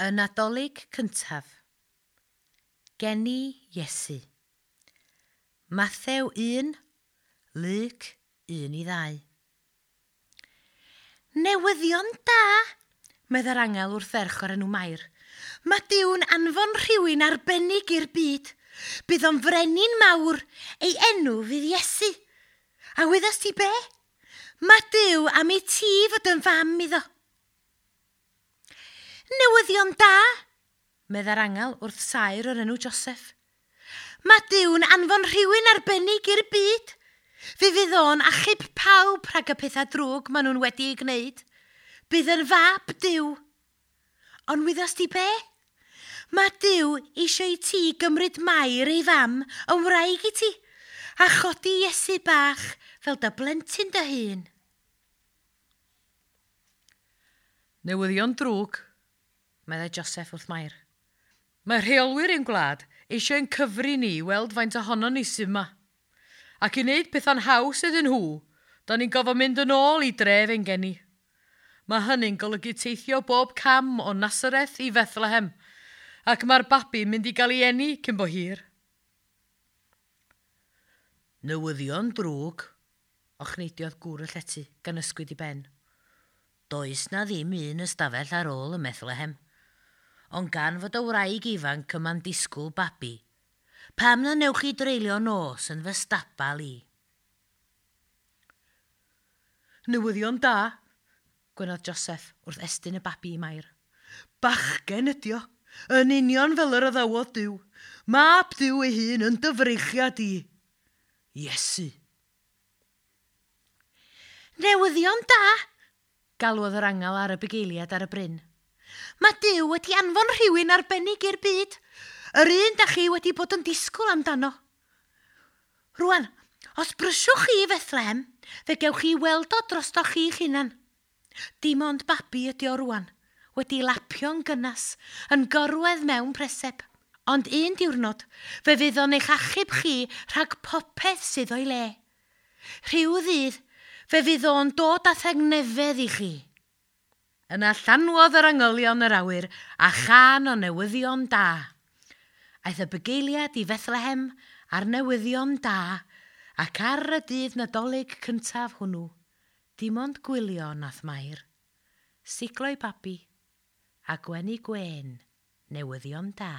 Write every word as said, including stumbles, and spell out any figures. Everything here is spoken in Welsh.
Y Nadolig cyntaf. Geni Iesu. Mathew un, Luc un i ddau. Newyddion da, medda'r angel wrth ferch o'r enw Mair. Mae Duw'n anfon rhywun arbennig i'r byd. Bydd o'n frenin mawr, ei enw fydd Iesu. A wyddost ti be? Mae Duw am i ti fod yn fam iddo. Newyddion da, medda'r angel wrth saer o'r enw Joseph. Mae Duw'n anfon rhywun arbennig i'r byd. Fe fydd o'n achub pawb rhag y pethau drwg maen nhw'n wedi ei gwneud. Bydd yn fab Duw. Ond wyddost ti be? Mae Duw eisiau i ti gymryd Mair ei fam yn wraig i ti a chodi Iesu bach fel dy blentyn dy hun. Newyddion drwg, meddai Joseph wrth Mair. Mae rheolwyr ein gwlad eisiau ein cyfri ni i weld faint ohonon ni sydd yma. Ac i wneud pethau'n haws iddyn nhw, da ni'n gofio mynd yn ôl i dref ein geni. Mae hynny'n golygu teithio bob cam o Nasareth i Fethlehem, ac mae'r babi'n mynd i gael ei eni cyn bo hir. Newyddion drwg, ochneidiodd gŵr y llety gan ysgwyd i ben. Does na ddim un ystafell ar ôl ym Methlehem, ond gan fod y wraig ifanc yma'n disgwyl babi, pam na newch chi dreulio nos yn fy stabal i? Newyddion da, gwenodd Joseph wrth estyn y babi i Mair. Bachgen ydi o, yn union fel yr addawodd Duw. Mab Duw ei hun yn dyfreichiad i. Iesu. Newyddion da, galwodd yr angel ar y bugeiliad ar y bryn. Mae Duw wedi anfon rhywun arbennig i'r byd. Yr un da chi wedi bod yn disgwyl amdano. Rwan, os brysiwch chi i Fethlehem, fe gewch chi weld o drostoch chi'ch hunan. Dim ond babi ydi o rwan, wedi lapio'n gynnas, yn gorwedd mewn preseb. Ond un diwrnod, fe fydd o'n eich achub chi rhag popeth sydd o'i le. Rhyw ddydd, fe fydd o'n dod â thengnefedd i chi. Yna llanwodd yr angylion yr awyr a chân o newyddion da. Aeth y bugeiliad i Fethlehem a'r newyddion da, ac ar y dydd Nadolig cyntaf hwnnw, dim ond gwylio nath Mair, siglo'i babi, a gwenu gwên newyddion da.